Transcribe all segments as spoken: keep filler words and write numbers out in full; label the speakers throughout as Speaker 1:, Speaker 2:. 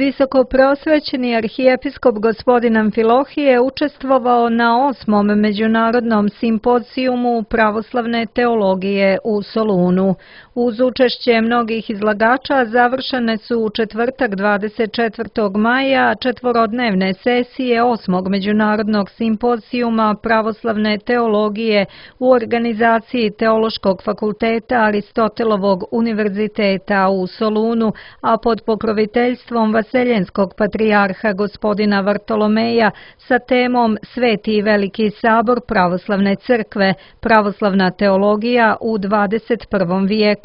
Speaker 1: Visokoprosvećeni arhijepiskop gospodin Amfilohije učestvovao na osmom međunarodnom simpozijumu pravoslavne teologije u Solunu. Uz učešće mnogih izlagača završene su u četvrtak dvadeset četvrtog maja četvorodnevne sesije osmog međunarodnog simpozijuma pravoslavne teologije u organizaciji Teološkog fakulteta Aristotelovog univerziteta u Solunu, a pod pokroviteljstvom Vaseljenskog patrijarha gospodina Vartolomeja sa temom Sveti i Veliki sabor pravoslavne crkve, pravoslavna teologija u dvadeset prvom vijeku.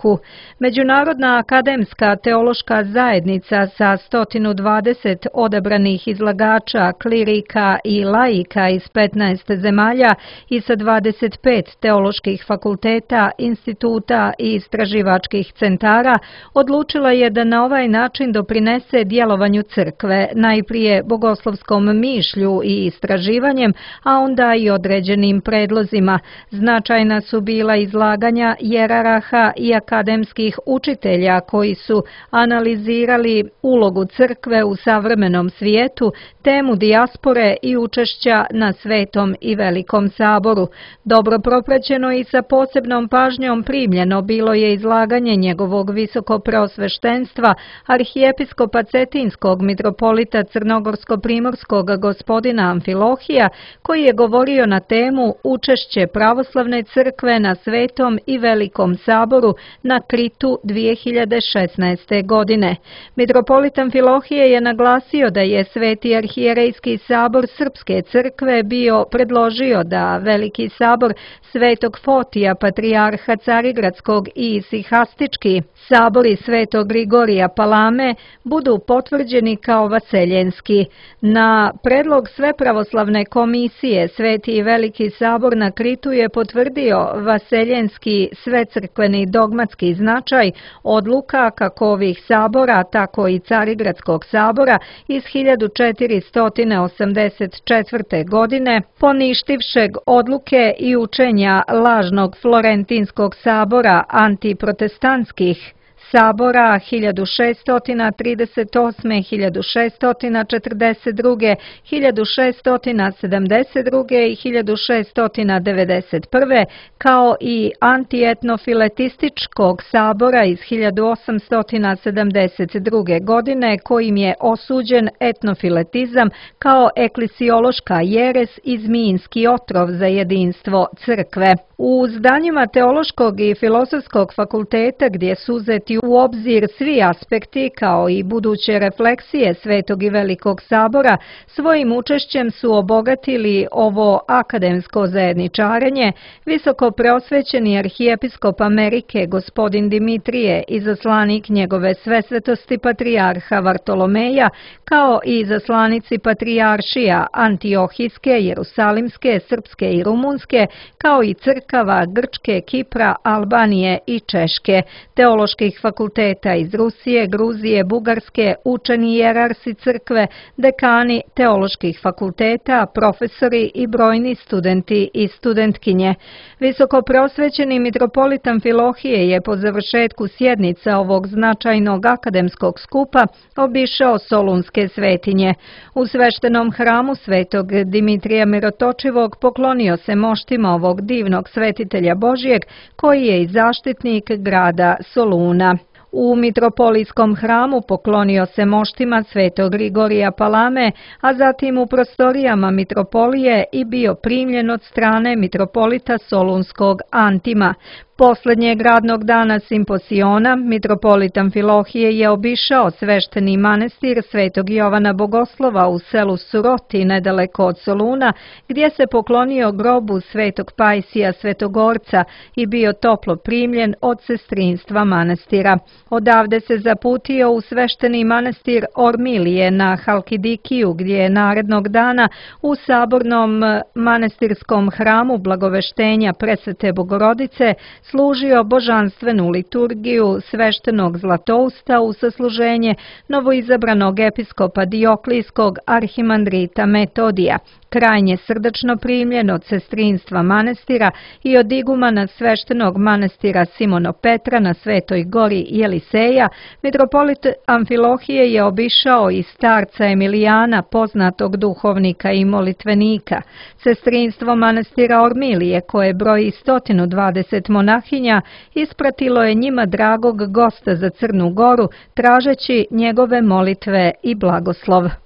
Speaker 1: Međunarodna akademska teološka zajednica sa sto dvadeset odabranih izlagača, klirika i laika iz petnaest zemalja i sa dvadeset pet teoloških fakulteta, instituta i istraživačkih centara odlučila je da na ovaj način doprinese djelovanju crkve, najprije bogoslovskom mišlju i istraživanjem, a onda i određenim predlozima. Značajna su bila izlaganja jeraraha i akademskih učitelja koji su analizirali ulogu crkve u savremenom svijetu, temu dijaspore i učešća na Svetom i Velikom saboru. Dobro propraćeno i sa posebnom pažnjom primljeno bilo je izlaganje njegovog visokopreosveštenstva, arhijepiskopa Cetinskog mitropolita Crnogorsko-primorskog gospodina Amfilohija, koji je govorio na temu Učešće pravoslavne crkve na Svetom i Velikom saboru na Kritu dvije hiljade šesnaeste. godine. Mitropolit Amfilohije je naglasio da je Sveti arhijerejski sabor Srpske crkve bio predložio da Veliki sabor Svetog Fotija, patrijarha Carigradskog i Sihastički sabori Svetog Grigorija Palame budu potvrđeni kao vaseljenski. Na predlog Svepravoslavne komisije Sveti i Veliki sabor na Kritu je potvrdio vaseljenski svecrkveni dogmatski značaj odluka kako ovih sabora, tako i Carigradskog sabora iz hiljadu četiristo osamdeset četvrte. godine, poništivšeg odluke i učenja lažnog Florentinskog sabora antiprotestantskih sabora hiljadu šeststo trideset osme. hiljadu šeststo četrdeset druge. hiljadu šeststo sedamdeset druge. i hiljadu šeststo devedeset prve. kao i antietnofiletističkog sabora iz hiljadu osamsto sedamdeset druge. godine kojim je osuđen etnofiletizam kao eklesiološka jeres i zmijinski otrov za jedinstvo crkve. U zdanjima Teološkog i Filozofskog fakulteta, gdje su uzeti u obzir svi aspekti kao i buduće refleksije Svetog i Velikog sabora, svojim učešćem su obogatili ovo akademsko zajedničarenje visoko preosvećeni arhijepiskop Amerike gospodin Dimitrije, izaslanik njegove svesvetosti patrijarha Vartolomeja, kao i izaslanici patrijaršija Antiohijske, Jerusalimske, Srpske i Rumunske, kao i crkava Grčke, Kipra, Albanije i Češke, teoloških fakulteta iz Rusije, Gruzije, Bugarske, učeni jerarsi crkve, dekani teoloških fakulteta, profesori i brojni studenti i studentkinje. Visokopreosvećeni mitropolit Amfilohije je po završetku sjednica ovog značajnog akademskog skupa obišao solunske svetinje. U sveštenom hramu Svetog Dimitrija Mirotočivog poklonio se moštima ovog divnog svetitelja Božijeg, koji je i zaštitnik grada Soluna. U mitropolijskom hramu poklonio se moštima Svetog Grigorija Palame, a zatim u prostorijama mitropolije i bio primljen od strane mitropolita Solunskog Antima. Poslednjeg radnog dana simposiona, mitropolit Amfilohije je obišao svešteni manastir Svetog Jovana Bogoslova u selu Suroti, nedaleko od Soluna, gdje se poklonio grobu Svetog Pajsija Svetogorca i bio toplo primljen od sestrinstva manastira. Odavde se zaputio u svešteni manastir Ormilije na Halkidikiju, gdje je narednog dana u sabornom manastirskom hramu Blagoveštenja Presvete Bogorodice služio božanstvenu liturgiju sveštenog zlatousta u sasluženje novoizabranog episkopa Dioklijskog arhimandrita Metodija. Krajnje srdačno primljen od sestrinstva manastira i od igumana sveštenog manastira Simono Petra na Svetoj gori Jeli Eliseja, mitropolit Amfilohije je obišao i starca Emilijana, poznatog duhovnika i molitvenika. Sestrinstvo manastira Ormilije, koje broji sto dvadeset monahinja, ispratilo je njima dragog gosta za Crnu Goru, tražeći njegove molitve i blagoslov.